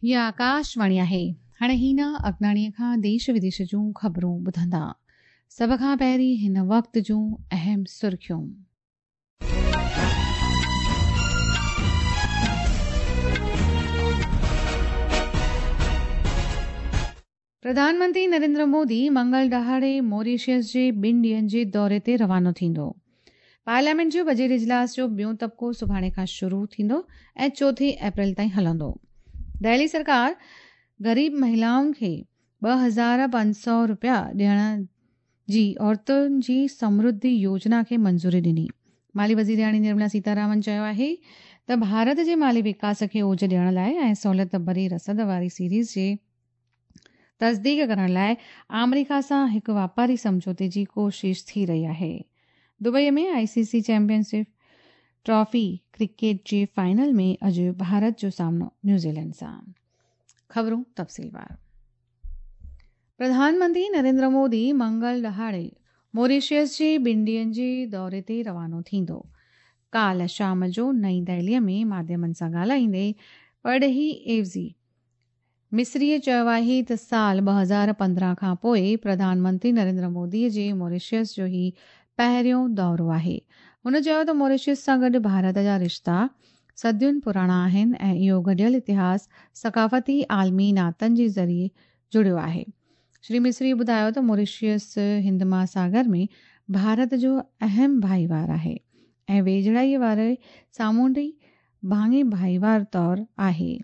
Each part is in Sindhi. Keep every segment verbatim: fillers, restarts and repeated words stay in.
هيء آڪاشواڻي آهي. هاڻي هينا اگناڻيءَ کان ديش وديش جون خبرون ٻڌندا. سڀ کان پهرين هن وقت جون اهم سرخيون. پرڌان منتري نريندر مودي منگل ڏهاڙي موريشس جي ٻن ڏينهن جي دوري تي روانو ٿيندو. پارليامينٽ جو بجيٽ اجلاس جو ٻيون طبقو سڀاڻي کان شروع ٿيندو ۽ چوٿين اپريل تائين هلندو. دهلي سرڪار غريب مهلائن کي ٻه هزار پنج سؤ رپيا ڏيڻ جي عورتن جي سمرڌي يوجنا کي منظوري ڏني. مالي وزيرياڻي نرملا سيتارامن چيو آهي ته ڀارت جي مالي وڪاس کي اوج ڏيڻ لاءِ ۽ سهولت ڀري رسد واري سيريز جي تصديق ڪرڻ لاءِ آمريڪا سان هڪ واپاري سمجهوتي جي ڪوشش ٿي رهي آهي. Dubai ۾ I C C championship trophy cricket جي فائنل ۾ اڄ ڀارت جو سامنو نيوزيلينڊ سان. خبرون تفصيلوار. پرڌان منتري نريندر مودي منگل ڏهاڙي موريشس جي ٻن ڏينهن جي دوري تي روانو ٿيندو. ڪالهه شام جو نئين دهليءَ ۾ ماڌيمن سان ڳالهائيندي پرڏيهي عيوضي مصريءَ چيو آهي ته سال ٻه هزار پندرهن کان پوءِ پرڌان منتري نريندر موديءَ جي موريشس جو هي پهريون دورو آهي. هن چيو ته موريشس سان گڏ ڀارت جا رشتا صدين پراڻا آهن ۽ اهو گڏيل اتهاس ثقافتي عالمي ناتن جي ذريعي جڙيو آهي. شري مصري ٻڌايو ته موريشس هند مهاساگر ۾ ڀارت جو اهم ڀائيوار آهي ۽ ويجهڙائيءَ واري سامونڊي ڀاڱي ڀائيوار طور آهي.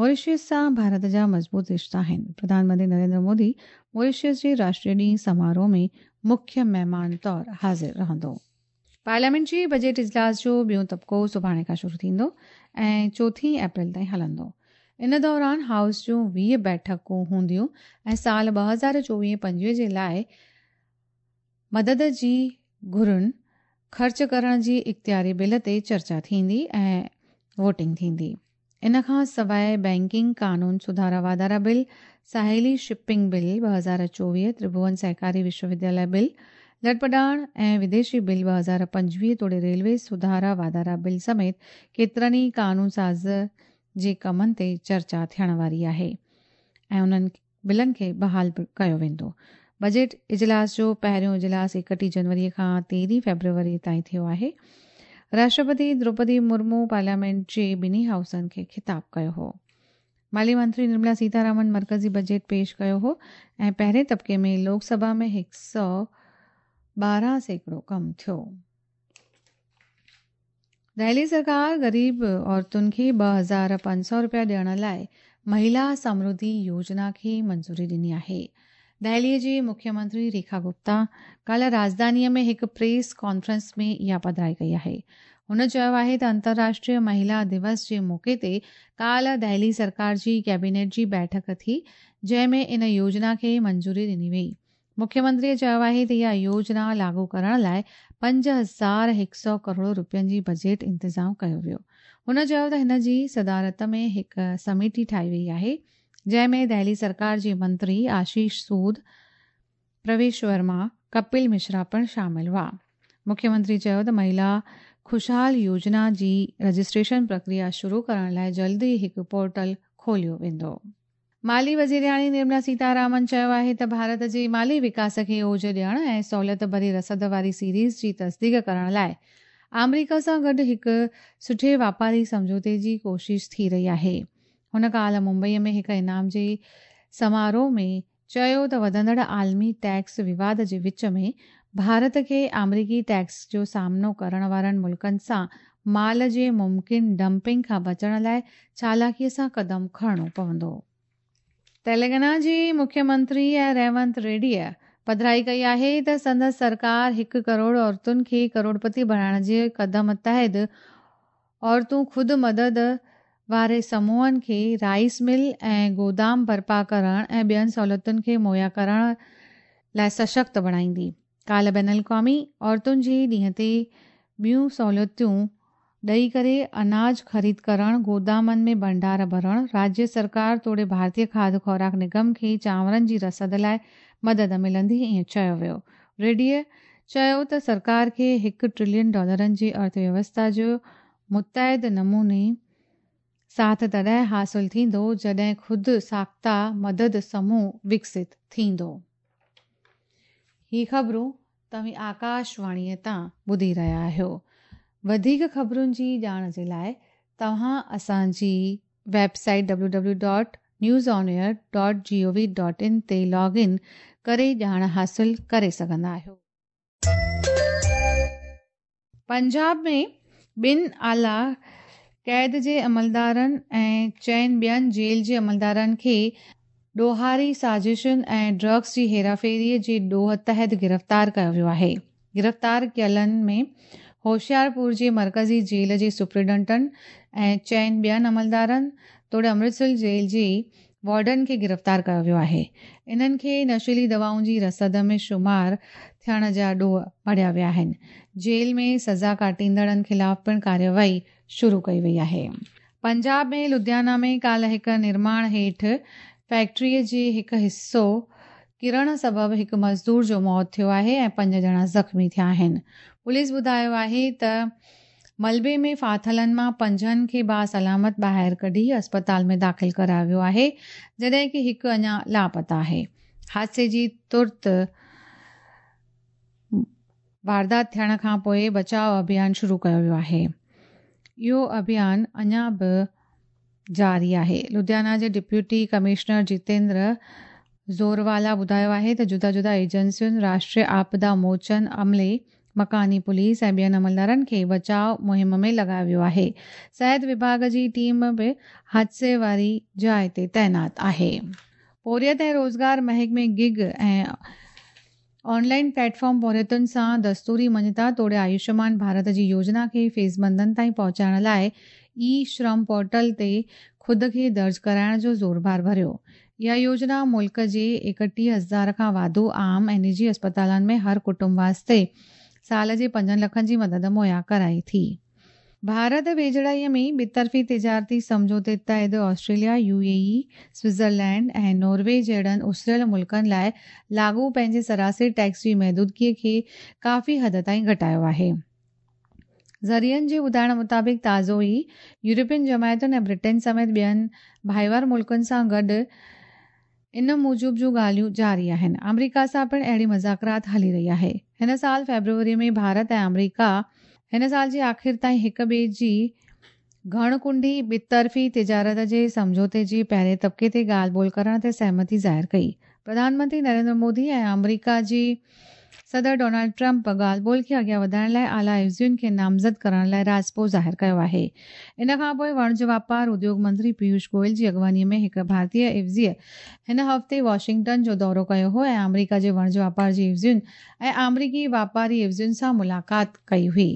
موريشس سان ڀارت جا مضبوط رشتا آهن. پرڌان منتري نريندر مودي موريشس جي راشٽريه ڏينهن سماروهه ۾ مکيه مهمان طور حاضر رهندو. پارليامينٽ جي بجيٽ اجلاس جو ٻيون طبقو سڀاڻي کان شروع ٿيندو ۽ چوٿين اپريل تائين هلندو. ان دوران هائوس جون ويهه بيٺڪون هونديون ۽ سال ٻه هزار چوويهه پنجويهه جي لاءِ مدد جي گهرن خرچ ڪرڻ جي اختياري بل تي چرچا ٿيندي ۽ ووٽنگ ٿيندي. ان کان سواءِ بينڪنگ قانون سڌارا واڌارا بل، ساحلي شپنگ بل ٻه هزار چوويهه، ترڀون سهڪاري وشو ودياليه بل، لڏپلاڻ ۽ وديشي بل ٻه هزار پنجويهه توڙي ريلوي سڌارا واڌارا بل سميت ڪيترن ئي قانون ساز جي ڪمن تي چرچا ٿيڻ واري آهي ۽ انهن بلن کي بحال ڪيو ويندو. بجيٽ اجلاس جو پهريون اجلاس ايڪٽيهه جنوريءَ کان تيرهين فيبروري تائين ٿيو آهي. راشٽرپتي دروپدي مرمو پارليامينٽ جي ٻنهي هائوسن کي خطاب ڪيو هو. مالي منتري نرملا سيتارامن مرڪزي بجيٽ پيش ڪيو هو ۽ پهرين طبقي ۾ لوڪ سڀا ۾ هڪ سؤ ٻارهن سيڪڙو ڪم ٿيو. دهلي سرڪار غريب عورتن کي ٻه هزار پنج سؤ رپيا ڏيڻ لاءِ مهلا سمرڌي يوجنا کي منظوري ڏني آهي. دهليءَ جي مکيه منتري ريکا گپتا ڪالهه راڄڌانيءَ ۾ هڪ پريس ڪانفرنس ۾ اها پڌرائي ڪئي آهي. هن چيو آهي ته انترراشٽريه مهلا دوس جي موقعي تي ڪالهه دهلي سرڪار جي ڪيبينيٽ جي بيٺڪ ٿي، جنهن ۾ ان يوجنا کي منظوري ڏني وئي. مکيه منتريءَ چيو آهي ته اها يوجنا لاڳو ڪرڻ لاءِ پنج هزار هڪ سؤ ڪروڙ رپين جي بجيٽ انتظام ڪيو ويو. هن چيو ته هن جي صدارت ۾ هڪ سميتي ٺاهي وئي آهي، جنهن ۾ دهلي سرڪار جي منتري آشيش سود، پرويش ورما، ڪپل مشرا پڻ شامل هئا. مکيه منتري چيو ته مهلا خوشحال يوجنا جي رجسٽريشن پرڪريا شروع ڪرڻ لاءِ جلد ئي هڪ پورٽل کوليو ويندو. مالي وزيرياڻي نرملا سيتارامن چيو آهي ته ڀارت جي مالي وڪاس کي اوج ڏيڻ ۽ سهولت ڀري رسد واري سيريز جي تصديق ڪرڻ لاءِ آمريڪا سان گڏ هڪ سٺي واپاري سمجهوتي جي ڪوشش ٿي رهي آهي. هن ڪالهه ممبئيءَ ۾ هڪ انعام جي سماروهه ۾ چيو ته وڌندڙ عالمي ٽيڪس وواد جي وچ ۾ ڀارت کي آمريڪي ٽيڪس جو سامنو ڪرڻ وارن ملڪن سان مال جي ممڪن ڊمپنگ کان بچڻ لاءِ چالاڪيءَ سان قدم کڻڻو پوندو. تيلنگانا جي مکيه منتري ريونت ريڊيءَ پڌرائي ڪئي آهي ته سندس سرڪار هڪ ڪروڙ عورتن کي ڪروڙپتي بڻائڻ جي قدم تحت عورتون خود مدد واري سموهن کي رائيس مل ۽ گودام برپا ڪرڻ ۽ ٻين سهولتن کي مهيا ڪرڻ لاءِ سشڪت بڻائيندي. ڪالهه بين الاقوامي عورتن جي ڏينهن تي ٻيون سهولتون ڏيئي ڪري اناج خريد ڪرڻ، گودامن ۾ ڀنڊار ڀرڻ، راجيه سرڪار توڙي ڀارتيه کاڌ خوراڪ نگم کي چانورن جي رسد لاءِ مدد ملندي ائين چيو ويو. ريڊيءَ چيو ته سرڪار کي هڪ ٽريلين ڊالرن جي ارٿ ويوسٿا جو متعد نموني ساٿ تڏهن حاصل ٿيندو جڏهن خود ساخته مدد سموهه وڪست ٿيندو. هي خبرون توهين آڪاشواڻيءَ تان ٻڌي رهيا آهيو. وڌيڪ خبرن جي ڄاڻ جي لاءِ توهان اسان جي website W W dot news on air dot G O V dot in تي لاگ ان ڪري ڄاڻ حاصل ڪري سگهندا آهيو. پنجاب ۾ ٻن اعليٰ قيد جي عملدارن ۽ چئن ٻين جيل جي عملدارن کي ڏوهاري سازشن ۽ ڊرگس جي هيراڦيريءَ جي ڏوهه تحت گرفتار ڪيو ويو آهي. گرفتار ڪيلن ۾ هوشيارپور جي مرڪزي جيل جي سپرنٽينڊنٽ ۽ چئن ٻين عملدارن توڙي امرتسر جيل جي وارڊن کي گرفتار ڪيو ويو آهي. انهن کي نشيلي دوائن جي رسد ۾ شمار ٿيڻ جا ڏوهه مڙهيا ويا آهن. جيل ۾ سزا ڪاٽيندڙن خلاف پڻ ڪارروائي شروع ڪئي وئي آهي. پنجاب ۾ لڌيانا ۾ ڪالهه هڪ نرماڻ هيٺ فيڪٽريءَ جي هڪ حصو ڪرڻ سبب هڪ مزدور جو موت ٿيو آهي ۽ پنج ڄڻا زخمي ٿيا آهن. پوليس ٻڌايو آهي ته ملبي ۾ ڦاٿلن مان پنجن کي باسلامت ٻاهر ڪڍي اسپتال ۾ داخل ڪرايو ويو آهي، جڏهن ڪه هڪ اڃا لاپتا آهي. حادثي جي ترت واردات ٿيڻ کان پوءِ بچاءُ اڀيان شروع ڪيو ويو آهي. اهو اڀيان اڃا به جاري آهي. لڌيانا جي ڊپٽي ڪمشنر جتيندر زوروالا ٻڌايو آهي ته جدا جدا ايجنسين، راشٽريه آپدا موچن عملي، مڪاني پوليس ۽ ٻين عملدارن کي بچاءُ مهم ۾ لڳايو ويو آهي. صحت وڀاڳ جي ٽيم به حادثي واري جاءِ تي تعينات آهي. پورهيت ۽ روزگار محڪمي گگ ۽ آنلائن پليٽ فارم پورهيتن سان دستوري مڃتا توڙي آيوشمان ڀارت جي يوجنا کي فيزمندن تائين پهچائڻ لاءِ اي شرم پورٽل تي خود کي درج ڪرائڻ جو زور ڀار ڀريو. اها يوجنا ملڪ جي ايڪٽيهه هزار کان واڌو عام ۽ نجي اسپتالن ۾ هر ڪٽنب واسطي سال جي پنجن لکن جي مدد مهيا ڪرائي ٿي. ڀارت ويجهڙائيءَ ۾ ٻطرفي تجارتي سمجهوتي تحت Australia, U A E, Switzerland ۽ Norway جهڙن اسريل ملڪن لاءِ لاڳو پنهنجي سراسري ٽيڪس جي محدودگيءَ کي ڪافي حد تائين گهٽايو آهي. ذريعن جي ٻڌائڻ مطابق تازو ئي يورپين جماعتن ۽ برٽين سميت ٻين ڀائيوار ملڪن سان گڏ ان موجب جون ڳالهيون جاري آهن. آمريڪا سان پڻ اهڙي مذاڪرات هلي رهي آهي. هن سال فيبروري ۾ ڀارت ۽ آمريڪا هن سال جي آخر تائين هڪ ٻئي جي گهڻ ڪنڊي ٻطرفي تجارت جي سمجهوتي جي پهرين طبقي تي ڳالهه ٻولهه ڪرڻ تي سهمتي ظاهر ڪئي. پرڌان منتري نريندر مودي ۽ آمريڪا جي صدر ڊونلڊ ٽرمپ ڳالهه ٻولهه کي اڳيان وڌائڻ لاءِ اعليٰ عيوضين کي نامزد ڪرڻ لاءِ راضپو ظاهر ڪيو آهي. ان کان پوءِ وڻج واپار اديوگ منتري پيوش گويل جي اڳواڻيءَ ۾ هڪ ڀارتيه عيوضيءَ هن هفتي واشنگٽن جو دورو ڪيو هو ۽ آمريڪا جي وڻج واپار جي عيوضين ۽ آمريڪي واپاري عيوضين سان ملاقات ڪئي هئي.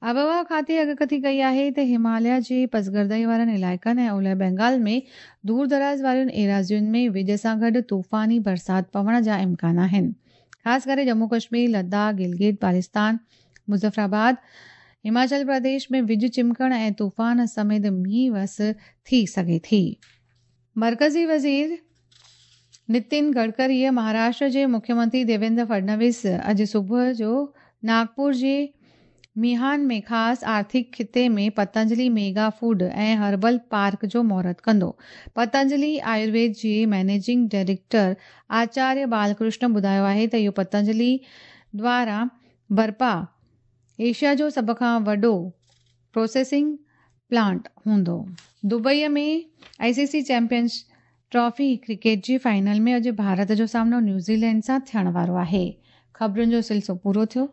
آبهوا کاتي اڳڪٿي ڪئي آهي ته هماليه جي پسگردائي وارن علائقن ۽ اولهه بينگال ۾ دور دراز وارين ايراضين ۾ وڄ سان گڏ طوفاني برسات پوڻ جا امڪان آهن. خاص ڪري ڄمون ڪشمير، لداخ، گلگت بالتستان، مظفرآباد، هماچل پرديش ۾ وڄ چمڪڻ ۽ طوفان سميت مينهن وس ٿي سگهي ٿي. مرڪزي وزير نتن گڊڪريءَ مهاراشٽر جي مکيه منتري ديويندر فڊنويس اڄ صبح جو ناگپور جي ميهان ۾ خاص آرٿڪ خطي ۾ Patanjali mega food ۽ herbal park جو مهورت ڪندو. پتنجلي آيورويد جي مئنيجنگ ڊائريڪٽر آچاريه بالڪرشن ٻڌايو آهي ته اهو پتنجلي دوارا برپا ايشيا جو سڀ کان وڏو پروسيسنگ پلانٽ هوندو. دبئيءَ ۾ I C C champions trophy cricket جي فائنل ۾ اڄ ڀارت جو سامنو نيوزيلينڊ سان ٿيڻ وارو آهي. خبرن جو سلسلو پورو ٿيو.